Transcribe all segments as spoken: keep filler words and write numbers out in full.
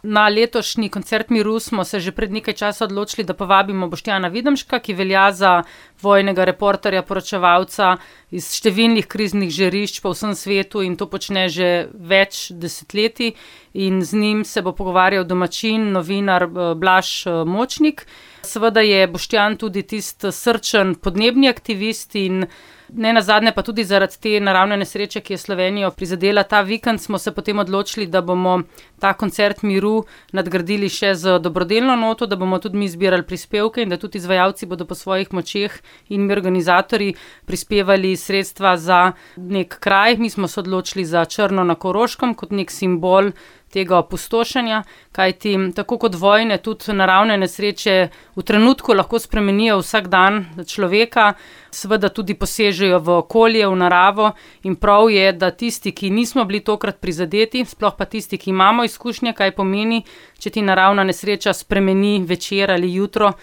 Na letošnji koncert miru smo se že pred nekaj časa odločili, da povabimo Boštjana Videmška, ki velja za vojnega reporterja, poročevalca iz številnih kriznih žarišč po vsem svetu in to počne že več desetletij. In z njim se bo pogovarjal domačin, novinar Blaž Močnik. Seveda je Boštjan tudi tisti srčen podnebni aktivist in nenazadnje pa tudi zaradi te naravne nesreče, ki je Slovenijo prizadela ta vikend, smo se potem odločili, da bomo ta koncert miru nadgradili še z dobrodelno noto, da bomo tudi mi zbirali prispevke in da tudi izvajalci bodo po svojih močeh in mi organizatorji prispevali sredstva za nek kraj. Mi smo se odločili za Črno na Koroškem kot nek simbol tega opustošenja, kajti tako kot vojne, tudi naravne nesreče v trenutku lahko spremenijo vsak dan človeka, seveda tudi posežejo v okolje, v naravo in prav je, da tisti, ki nismo bili tokrat prizadeti, sploh pa tisti, ki imamo izkušnje, kaj pomeni, če ti naravna nesreča spremeni večer ali jutro,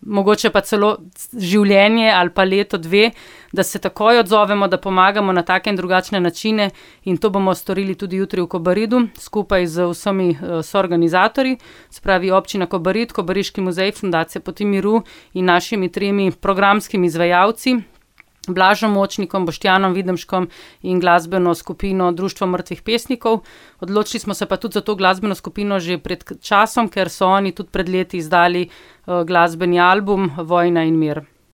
mogoče pa celo življenje ali pa leto, dve, da se takoj odzovemo, da pomagamo na take in drugačne načine in to bomo storili tudi jutri v Kobaridu, skupaj z vsemi soorganizatorji, se pravi Občina Kobarid, Kobariški muzej, Fundacija Poti miru in našimi tremi programskimi izvajalci, Blažem Močnikom, Boštjanom Videmškom in glasbeno skupino Društvo mrtvih pesnikov. Odločili smo se pa tudi za to glasbeno skupino že pred časom, ker so oni tudi pred leti izdali glasbeni album Vojna in mir.